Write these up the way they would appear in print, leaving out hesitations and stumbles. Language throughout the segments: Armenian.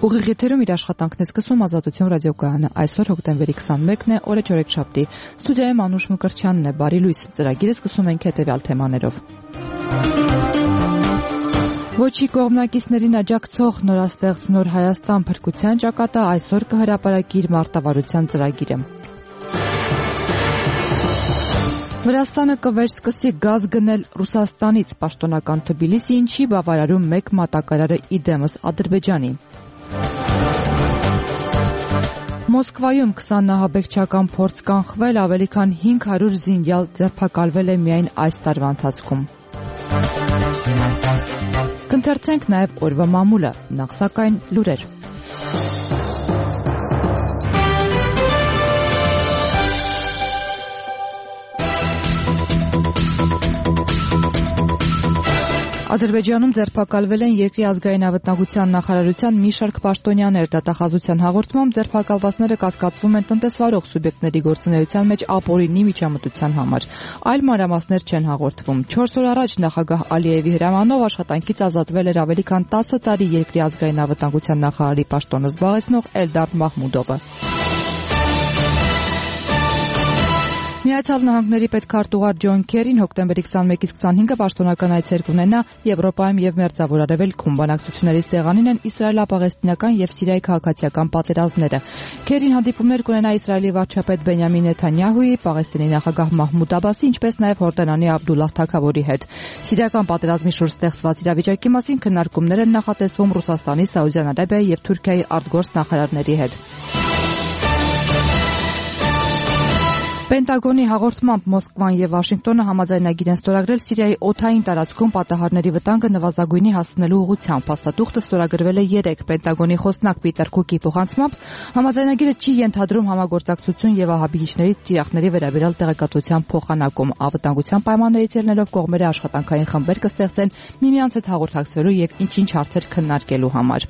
Ուղիղ եթերում իր աշխատանքն է սկսում Ազատություն ռադիոկայանը։ Այսօր հոկտեմբերի 21-ն է, օրը չորեքշաբթի։ Ստուդիայում Անուշ Մկրտչյանն է, բարի լույս։ Ծրագիրը սկսում ենք հետևյալ թեմաներով։ Ոչի կողմնակիցներին աջակցող նորաստեղծ Նոր Հայաստան փրկության ճակատը այսօր կհրապարակի իր մարտավարության ծրագիրը։ Վրաստանը կվերսկսի գազ գնել Ռուսաստանից, պաշտոնական Թբիլիսին չի բավարարում մեկ մատակարարը իդեմս Ադրբեջանի։ Մոսկվայում 20 նահաբեկչական փորձ կանխվել, ավելի քան 500 զինյալ ձերբակալվել է միայն այս տարվա ընթացքում։ Կընթերցենք նաև օրվա մամուլը, նախ սակայն լուրեր։ Ադրբեջանում ձերբակալվել են երկրի ազգային անվտանգության նախարարության մի շարք պաշտոնյաներ։ Դատախազության հաղորդմամբ ձերբակալվածները կասկածվում են տնտեսվարող սուբյեկտների գործունեության մեջ ապօրինի միջամտության համար։ Այլ մանրամասներ չեն հաղորդվում։ 4 օր առաջ նախագահ Ալիևի հրամանով աշխատանքից ազատվել էր ավելի քան 10 տարի երկրի ազգային անվտանգության նախարարի պաշտոնը զբաղեցնող Էլդար Մահմուդովը։ Միացյալ Նահանգների պետքարտուղար Ջոն Քերին հոկտեմբերի 21-ից 25-ը պաշտոնական այցեր կունենա Եվրոպայում եւ Մերձավոր Արևելքում։ Բանակցությունների սեղանին են իսրայելապաղեստինական եւ Սիրիայի քաղաքացիական պատերազմները։ Քերին հանդիպումներ կունենա Իսրայելի վարչապետ Բենյամին Նեթանյահուի, Պաղեստինի նախագահ Մահմուդ Աբասի, ինչպես նաեւ Հորդանանի Աբդուլլահ Թագավորի հետ։ Սիրիական պատերազմի շուրջ ստեղծված իրավիճակի մասին քննարկումներ են նախատեսվում Ռուսաստանի, Սաուդյան Արաբիայի եւ Թուրքիայի արտգործ նախարարների հետ։ Պենտագոնի հաղորդմամբ Մոսկվան եւ Վաշինգտոնը համաձայնագիր են ստորագրել Սիրիայի օդային տարածքում պատահարների վտանգը նվազագույնի հասցնելու ուղղությամբ։ Փաստաթուղթը ստորագրվել է 3 Պենտագոնի խոսնակ Պիտեր Քուկի փոխանցմամբ համաձայնագիրը չի ենթադրում համագործակցություն եւ ահաբիջների թիրախների վերաբերյալ տեղեկատվության փոխանակում։ Անվտանգության պայմաններից ելնելով կողմերը աշխատանքային խմբեր կստեղծեն միմյանց հետ հաղորդակցվելու եւ ինչ-ինչ հարցեր քննարկելու համար։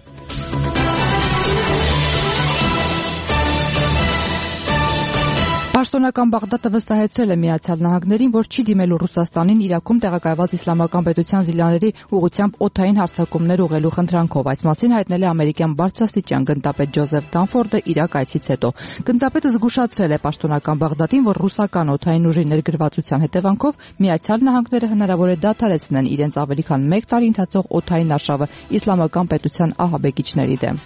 Պաշտոնական Բաղդադը վստահեցրել է Միացյալ Նահանգներին, որ չի դիմելու Ռուսաստանին Իրաքում տեղակայված իսլամական պետության զիլաների ուղղությամբ օդային հարձակումներ ուղղելու խնդրանքով։ Այս մասին հայտնել է ամերիկյան բարձրաստիճան գնդապետ Ջոզեֆ Դանֆորդը Իրաք այցից հետո։ Գնդապետը զգուշացրել է պաշտոնական Բաղդադին, որ ռուսական օդային ուժի ներգրավվածության հետևանքով Միացյալ Նահանգները հնարավոր է դադարեցնեն իրենց ավելի քան 1 տարի ընթացող օդային արշավը իսլամական պետության ահաբեկիչների դեմ։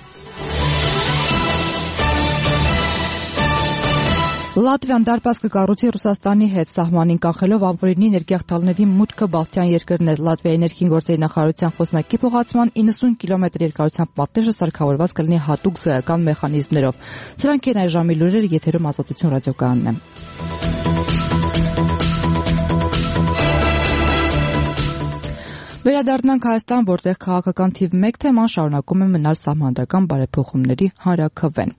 Լատվիան դարպաս կկառուցի Ռուսաստանի հետ սահմանին կանխելով ապօրինի ներքաղթալների մուտքը Բալթյան երկրներ։ Լատվիայի ներքին գործերի նախարարության խոսնակի փոխանցման 90 կիլոմետր երկարությամբ պատեժը սարքավորված կլինի հատուկ զգայական մեխանիզմներով։ Սրանք են այժմի լուրերը, եթերում Ազատություն ռադիոկայանն է։ Վերադառնանք Հայաստան, որտեղ քաղաքական թիվ 1 թեման շարունակում է մնալ սահմանադրական բարեփոխումների հանրաքվեն։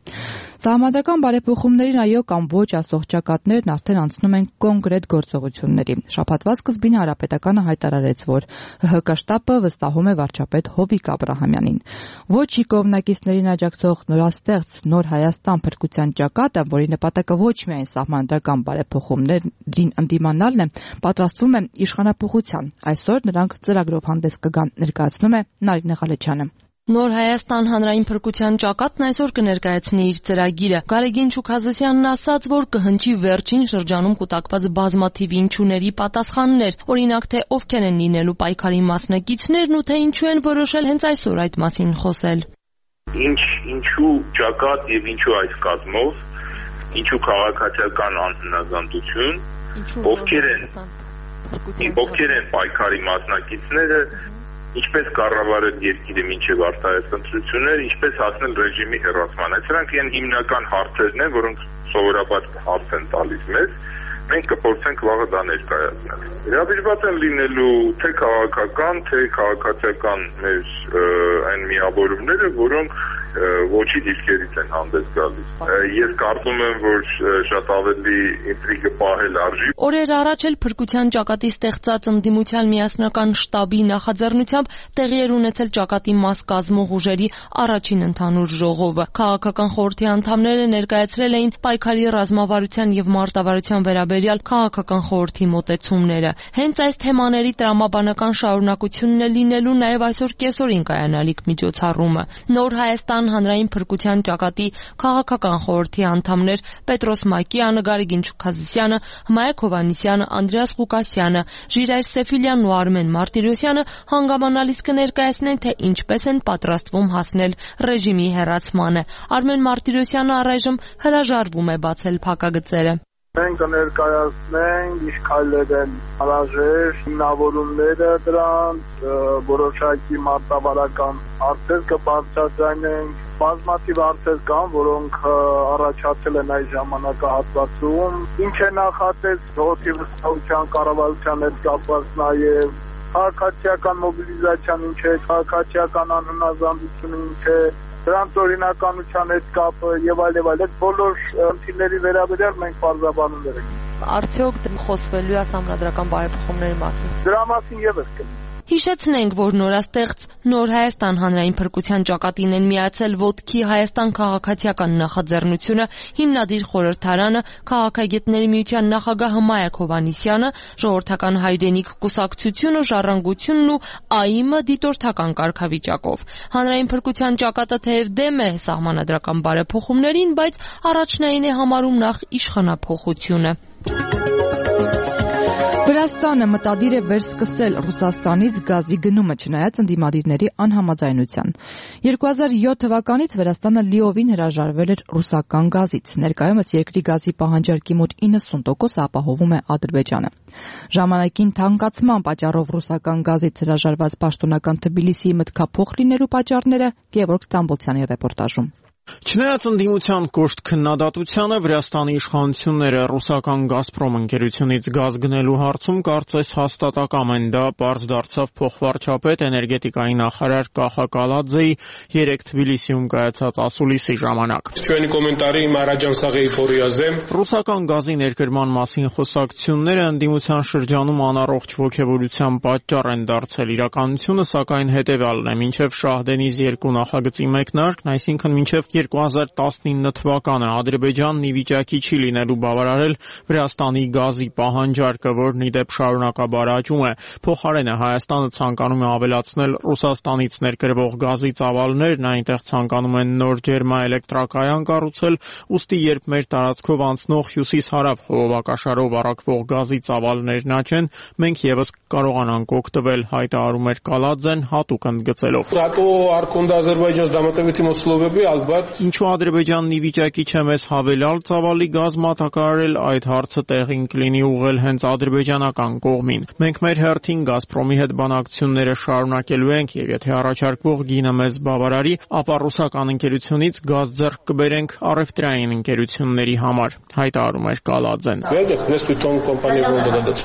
Սահմանադրական բարեփոխումներին այո կամ ոչ ասող ճակատներն արդեն անցնում են կոնկրետ գործողությունների։ Շաբաթվա սկզբին Հանրապետականը հայտարարեց, որ ՀՀԿ շտաբը վստահում է վարչապետ Հովիկ Աբրահամյանին։ Ոչի կողմնակիցներին աջակցող նորաստեղծ Նոր Հայաստան փրկության ճակատը, որի նպատակը ոչ միայն սահմանադրական բարեփոխումներին ընդդիմանալն է, պատրաստվում է իշխանափոխության։ Այսօր նրանք ծրագրով հանդես կգան, ներկայացնում է Նարինե Ղալեչյանը։ Նոր Հայաստան հանրային փրկության ճակատն այսօր կներկայացնի իր ծրագիրը։ Գարեգին Շուքհազեսյանն ասաց, որ կհնչի վերջին շրջանում կուտակված բազմաթիվ ինչուների պատասխաններ, օրինակ թե ովքեր են լինելու պայքարի մասնակիցներն ու թե ինչու են որոշել հենց այսօր այդ մասին խոսել։ Ինչու ճակատ եւ ինչու այս կազմով, ինչու քաղաքացիական անհնազանդություն, ովքեր են պայքարի մասնակիցները, ինչպես կառավարել երկիրը մինչև արտահայտ ընտրություններ, ինչպես հասնել ռեժիմի հեռացման։ Սրանք են հիմնական հարցերն են, որոնք սովորաբար հարց են տալիս մեզ, մենք կփորձենք վաղը դա ներկայացնել։ Իրավիճված են լինելու թե քաղաքական, թե քաղաքացիական մեր այն միավորումները, որոնք ոչի դիրքերից են հանդես գալիս։ Ես կարծում եմ, որ շատ ավելի ինտրիգը պահել արժի։ Օրեր առաջ էլ փրկության ճակատի ստեղծած ընդդիմության միասնական շտաբի նախաձեռնությամբ տեղի էր ունեցել ճակատի մաս կազմող ուժերի առաջին ընդհանուր ժողովը։ Քաղաքական խորհրդի անդամները ներկայացրել էին պայքարի ռազմավարության եւ մարտավարության վերաբերյալ վերաբերյալ քաղաքական խորհրդի մոտեցումները։ Հենց այս թեմաների տրամաբանական շարունակությունն է լինելու նաև այսօր կեսօրին կայանալիք միջոցառումը։ Նոր Հայաստան հանրային փրկության ճակատի քաղաքական խորհրդի անդամներ Պետրոս Մակյանը, Գարեգին Չուքազիսյանը, Հմայակ Հովհաննիսյանը, Անդրեաս Ղուկասյանը, Ժիրայր Սեֆիլյանն ու Արմեն Մարտիրոսյանը հանգամանալից կներկայացնեն, թե ինչպես են պատրաստվում հասնել ռեժիմի հեռացմանը։ Արմեն Մարտիրոսյանը առայժմ հրաժարվում է բացել փակագծերը։ Մենք կներկայացնենք ինչ քայլեր են անհրաժեշտ, հիմնավորումները դրանց, որոշակի մարտավարական հարցեր կբարձրացնենք, բազմաթիվ հարցեր կան, որոնք առաջացել են այս ժամանակահատվածում, ինչ է նախատես ժողովրդի վստահության կառավարության հետ կապված նաև քաղաքացիական մոբիլիզացիան ինչ է, քաղաքացիական անհնազանդությունը ինչ է, դրանց օրինականության հետ կապը եւ այլ, այդ բոլոր խնդիրների վերաբերյալ մենք բարձրաբանումներ ենք։ Արդյոք խոսվելու է համանդրական բարեփոխումների մասին։ Դրա մասին եւս կլինի։ Հիշեցնենք, որ նորաստեղծ Նոր Հայաստան հանրային փրկության ճակատին են միացել Ոտքի Հայաստան քաղաքացիական նախաձեռնությունը, հիմնադիր խորհրդարանը, քաղաքագետների միության նախագահ Հմայակ Հովհաննիսյանը, ժողովրդական հայրենիք կուսակցությունը, Ժառանգությունն ու ԱԻՄ-ը դիտորդական կարգավիճակով։ Հանրային փրկության ճակատը թեև դեմ է սահմանադրական բարեփոխումներին, բայց առաջնային է համարում նախ իշխանափոխությունը։ Վրաստանը մտադիր է վերսկսել Ռուսաստանից գազի գնումը, չնայած ընդդիմադիրների անհամաձայնության։ 2007 թվականից Վրաստանը լիովին հրաժարվել էր ռուսական գազից։ Ներկայումս երկրի գազի պահանջարկի մոտ 90% ապահովում է Ադրբեջանը։ Ժամանակին թանկացման պատճառով ռուսական գազից հրաժարված պաշտոնական Թբիլիսիի մտքափոխ լինելու պատճառները Գևորգ Ստամբոլցյանի ռեպորտաժում։ Չնայած ընդդիմության կոշտ քննադատությանը, Վրաստանի իշխանությունները ռուսական «Գազպրոմ» ընկերությունից գազ գնելու հարցում կարծես հաստատակամ են։ Դա պարզ դարձավ փոխվարչապետ էներգետիկայի նախարար Կախա Կալաձեի երեկ Թբիլիսիում կայացած ասուլիսի ժամանակ։ Ռուսական գազի ներկրման մասին խոսակցությունները ընդդիմության շրջանում անառողջ ոգևորության պատճառ են դարձել։ Իրականությունը, սակայն, հետևյալն է. մինչև Շահդենիզ 2 նախագծի մեկնարկն, այսինքն մինչև 2019 թվականը Ադրբեջանն ի վիճակի չի լինելու բավարարել Վրաստանի գազի պահանջարկը, որն ի դեպ շարունակաբար աճում է։ Փոխարենը Հայաստանը ցանկանում է ավելացնել Ռուսաստանից ներկրվող գազի ծավալներն, այնտեղ ցանկանում են նոր ջերմաէլեկտրակայան կառուցել, ուստի երբ մեր տարածքով անցնող հյուսիս-հարավ խողովակաշարով առաքվող գազի ծավալներն աճեն, մենք եւս կարողանանք օգտվել, հայտարարում էր Կալաձեն հատուկ ընդգծելով։ Ինչու Ադրբեջանն ի վիճակի չէ մեզ հավելյալ ծավալի գազ մատակարարել, այդ հարցը տեղին կլինի ուղղել հենց ադրբեջանական կողմին։ Մենք մեր հերթին «Գազպրոմի» հետ բանակցությունները շարունակելու ենք եւ եթե առաջարկվող գինը մեզ բավարարի, ապա ռուսական ընկերությունից գազ ձեռք կբերենք առևտրային ընկերությունների համար, հայտարարում էր Կալաձեն։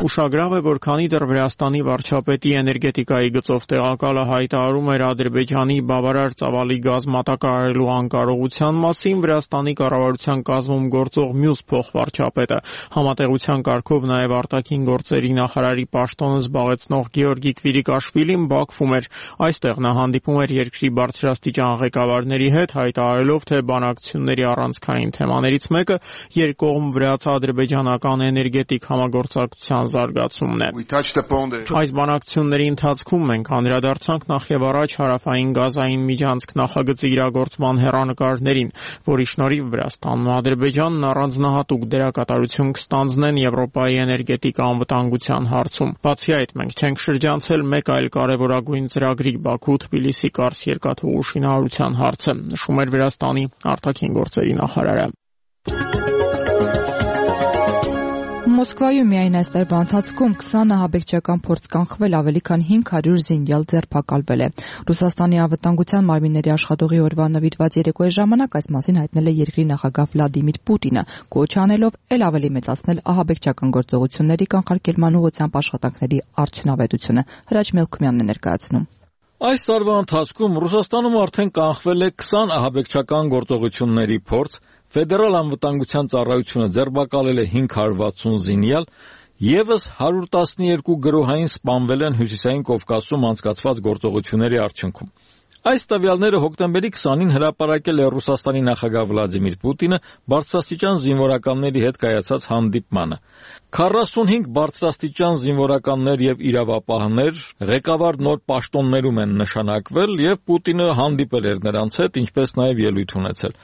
Ուշագրավ է, որ քանի դեռ Վրաստանի վարչապետի էներգետիկայի գծով տեղակալը հայտարարում էր Ադրբեջանի բավարար ծավալի գազ մատակարարելու անկարողության մասին, Վրաստանի կառավարության կազմում գործող մյուս փոխվարչապետը, համատեղության կարգով նաև արտաքին գործերի նախարարի պաշտոնը զբաղեցնող Գեորգի Կվիրիկաշվիլին Բաքվում էր։ Այստեղ նա հանդիպում էր երկրի բարձրաստիճան ղեկավարների հետ, հայտարարելով, թե բանակցությունների առանցքային թեմաներից մեկը երկկողմ վրաց-ադրբեջանական էներգետիկ համագործակցության զարգացումն է։ Այս բանակցությունների ընթացքում մենք անդրադարձանք նախ եւ առաջ հարավային գազային միջանցք նախագծի իրագործման հեռանկարներին, որի շնորհիվ Վրաստանն ու Ադրբեջանն առանձնահատուկ դերակատարություն կստանձնեն Եվրոպայի էներգետիկ անվտանգության հարցում։ Բացի այդ, մենք չենք շրջանցել մեկ այլ կարևորագույն ծրագրի Բաքու-Թբիլիսի Կարս երկաթուղու շինարարության հարցը, նշում էր Վրաստանի արտաքին գործերի նախարարը։ Մոսկվայում միայն այս տարվա ընթացքում 20 ահաբեկչական փորձ կանխվել, ավելի քան 500 զինյալ ձերբակալվել է։ Ռուսաստանի անվտանգության մարմինների աշխատողի օրվա նվիրված երեկոյի ժամանակ այս մասին հայտնել է երկրի նախագահ Վլադիմիր Պուտինը, կոչ անելով ել ավելի մեծացնել ահաբեկչական գործողությունների կանխարգելման ուղղությամբ աշխատանքների արդյունավետությունը։ Հրաչ Մելքումյանն է ներկայացնում։ Այս տարվա ընթացքում Ռուսաստանում արդեն կանխվել է 20 ահաբեկչական գործողությունների փորձ, Ֆեդերալ անվտանգության ծառայությունը ձերբակալել է 560 զինյալ, եւս 112 գրոհային սպանվել են Հյուսիսային Կովկասում անցկացված գործողությունների արդյունքում։ Այս տվյալները հոկտեմբերի 20-ին հրապարակել է Ռուսաստանի նախագահ Վլադիմիր Պուտինը բարձրաստիճան զինվորականների հետ կայացած հանդիպմանը։ 45 բարձրաստիճան զինվորականներ եւ իրավապահներ ղեկավար նոր պաշտոններում են նշանակվել եւ Պուտինը հանդիպել էր նրանց հետ, ինչպես նաեւ ելույթ ունեցել։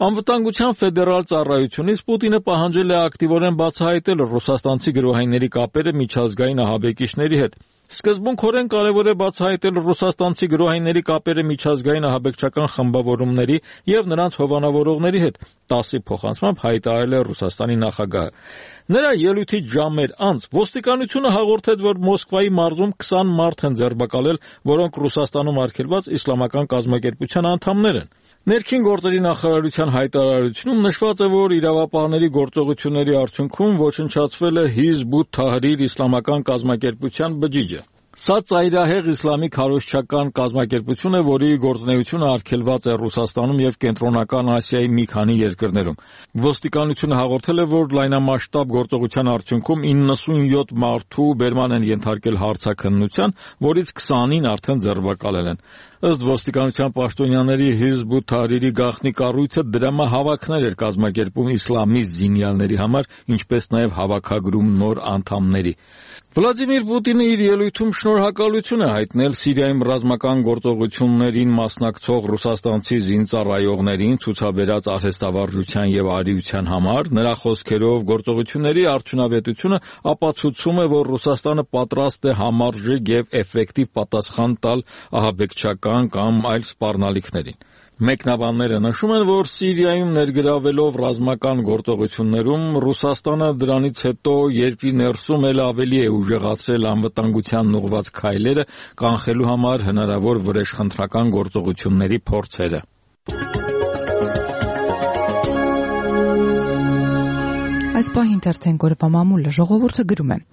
Անվտանգության ֆեդերալ ծառայությունից Պուտինը պահանջել է ակտիվորեն բացահայտել ռուսաստանցի գրոհայինների կապերը միջազգային ահաբեկիչների հետ։ Սկզբունքորեն կարևոր է բացահայտել ռուսաստանցի գրոհայինների կապերը միջազգային ահաբեկչական խմբավորումների եւ նրանց հովանավորողների հետ, ՏԱՍՍ-ի փոխանցմամբ հայտարարել է Ռուսաստանի նախագահը։ Նրա ելույթից ժամեր անց ոստիկանությունը հաղորդեց, որ Մոսկվայի մարզում 20 մարդ են ձերբակալել, որոնք Ռուսաստանում արգելված իսլամական կազմակերպության անդամներ են։ Ներքին գործերի նախարարության հայտարարությունում նշված է, որ իրավապահների գործողությունների արդյունքում ոչնչացվել է Հիզբ ութ-Թահրիր իսլամական կազմակերպության բջիջը։ Սա ծայրահեղ իսլամի քարոզչական կազմակերպություն է, որի գործունեությունը արգելված է Ռուսաստանում եւ Կենտրոնական Ասիայի մի քանի երկրներում։ Ոստիկանությունը հաղորդել է, որ լայնամասշտաբ գործողության արդյունքում 97 մարդու բերման են ենթարկել հարցաքննության, որից 20-ին արդեն ձերբակալել են։ Ըստ ոստիկանության պաշտոնյաների Հիզբ ութ-Թահրիրի գաղտնի կառույցը դրամահավաքներ էր կազմակերպում իսլամիստ զինյալների համար, ինչպես նաև հավաքագրում նոր անդամների։ Վլադիմիր Պուտինը իր ելույթում շնորհակալություն է հայտնել Սիրիայում ռազմական գործողություններին մասնակցող ռուսաստանցի զինծառայողներին ցուցաբերած արհեստավարժության եւ արիության համար։ Նրա խոսքերով գործողությունների արդյունավետությունը ապացուցում է, որ Ռուսաստանը պատրաստ է համարժեք եւ էֆեկտիվ պատասխան տալ ահաբեկչական կամ այլ սպառնալիքներին։ Մեկնաբանները նշում են, որ Սիրիայում ներգրավելով ռազմական գործողություններում Ռուսաստանը դրանից հետո երկրի ներսում էլ ավելի է ուժեղացրել անվտանգությանն ուղղված քայլերը, կանխելու համար հնարավոր վրեժխնդրական գործողությունների փորձերը։ Այս պահին թերթեն գորվա մամուլը ժողովուրդը գրում է.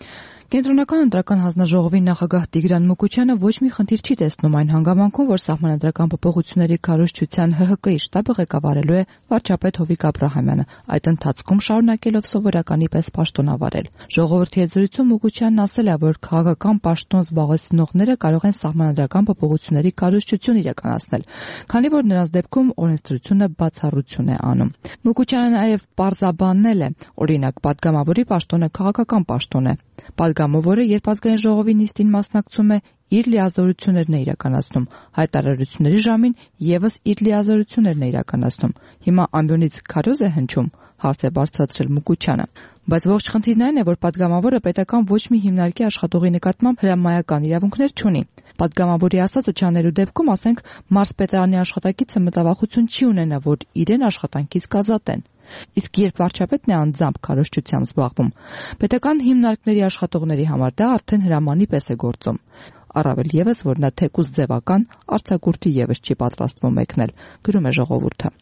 Կենտրոնական ընտրական հանձնաժողովի նախագահ Տիգրան Մուկուչյանը ոչ մի խնդիր չի տեսնում այն հանգամանքում, որ սահմանադրական փոփոխությունների քարոզչության ՀՀԿ-ի շտաբը ղեկավարելու է վարչապետ Հովիկ Աբրահամյանը, այդ ընթացքում շարունակելով սովորականի պես պաշտոնավարել։ Ժողովրդի հետ զրույցում Մուկուչյանն ասել է, որ քաղաքական պաշտոն զբաղեցնողները կարող են սահմանադրական փոփոխությունների քարոզչություն իրականացնել, քանի որ նրանց դեպքում օրենսդրությունը բացառություն է անում։ Մուկուչյանը նաև պարզաբանել է, օրինակ, падգամավորի պաշտոնը քաղաքական պաշտոն է։ Падգամավորը, երբ ազգային ժողովի նիստին մասնակցում է, իր լիազորություններն է իրականացնում, հայտարարությունների ժամին եւս իր լիազորություններն է իրականացնում։ Հիմա ամբյոնից քարոզ է հնչում, հարց է բարձրացրել Մուկուչյանը։ Բայց ողջ խնդիրն այն է, որ падգամավորը պետական ոչ մի հիմնարկի աշխատողի նկատմամբ հրամայական իրավունքներ չունի։ Падգամավորի ասածը չանելու դեպքում, ասենք, մարզպետարանի աշխատակիցը մտավախություն չի ունենա, որ իրեն աշխատանքից կազատեն։ Իսկ երբ վարչապետն է անձամբ քարոզչությամբ զբաղվում, պետական հիմնարկների աշխատողների համար դա արդեն հրամանի պես է գործում։ Առավել եւս, որ նա թեկուզ ձևական արձակուրդի եւս չի պատրաստվում մեկնել, գրում է ժողովուրդը։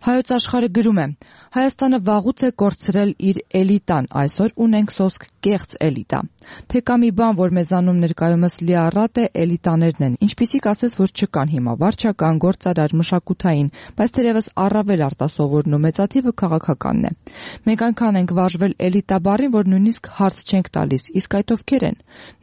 Հայոց աշխարհը գրում է. Հայաստանը վաղուց է կորցրել իր էլիտան, այսօր ունենք սոսկ կեղծ էլիտա։ Թե կա մի բան, որ մեզանում ներկայումս լիառատ է, էլիտաներն են, ինչպիսիք ասես, որ չկան հիմա, վարչական, գործարար, մշակութային, բայց թերևս առավել արտասովորն ու մեծաթիվը քաղաքականն է։ Մենք այնքան ենք վարժվել էլիտա բառին, որ նույնիսկ հարց չենք տալիս, իսկ այդ ովքեր են։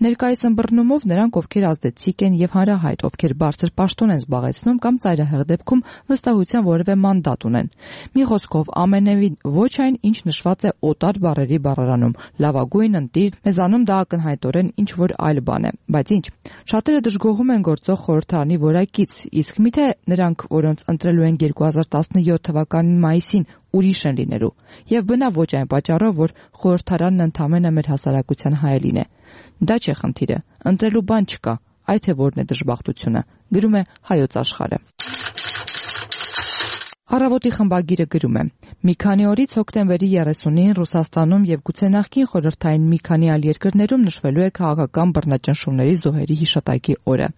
Ներկայիս ըմբռնումով նրանք, ովքեր ազդեցիկ են եւ հանրահայտ, ովքեր բարձր պաշտոն են զբաղեցնում կամ ծայրահեղ դեպքում վստահության որևէ մանդատ ունեն։ Մի խոսքով, ամենևին ոչ այն, ինչ նշված է օտար բառերի բառարանում, լավագույն, ընտիր, մեզանում դա ակնհայտորեն ինչ որ այլ բան է, բայց ինչ։ Շատերը դժգոհում են գործող խորհրդարանի որակից, իսկ միթե նրանք, որոնց ընտրելու են 2017 թվականի մայիսին, ուրիշ են լինելու։ Եվ բնավ ոչ այն պատճառով, որ խորհրդարանն ընդամենը մեր հասարակության հայելին է։ Դա չէ խնդիրը, ընտրելու բան չկա, այդ է որն է դժբախտությունը, գրում է Հայոց աշխարհը։ Առավոտի խմբագիրը գրում է. Մի քանի օրից հոկտեմբերի 30-ին Ռուսաստանում եւ գուցե նախկին խորհրդային մի քանի այլ երկրներում նշվելու է քաղաքական բռնաճնշումների զոհերի հիշատակի օրը։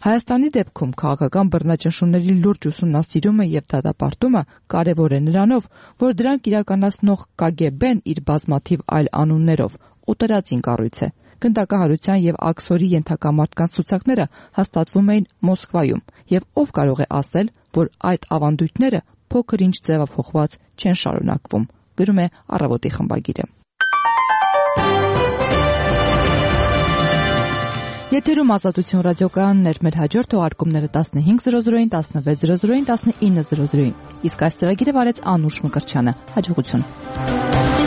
Հայաստանի դեպքում քաղաքական բռնաճնշումների լուրջ ուսումնասիրումը եւ դատապարտումը կարեւոր է նրանով, որ դրանք իրականացնող ԿԳԲ-ն իր բազմաթիվ այլ անուններով օտարածին կառույց է։ Գնդակահարության եւ աքսորի ենթակա մարդկանց ցուցակները հաստատվում էին Մոսկվայում, եւ ով կարող է ասել, որ այդ ավանդույթները փոքր-ինչ ձևափոխված չեն շարունակվում, գրում է Առավոտի խմբագիրը։ Եթերում Ազատություն ռադիոկայանն էր, մեր հաջորդ թողարկումները 15:00-ին, 16:00-ին, 19:00-ին։ Իսկ այս ծրագիրը վարեց Անուշ Մկրտչյանը։ Հաջողություն։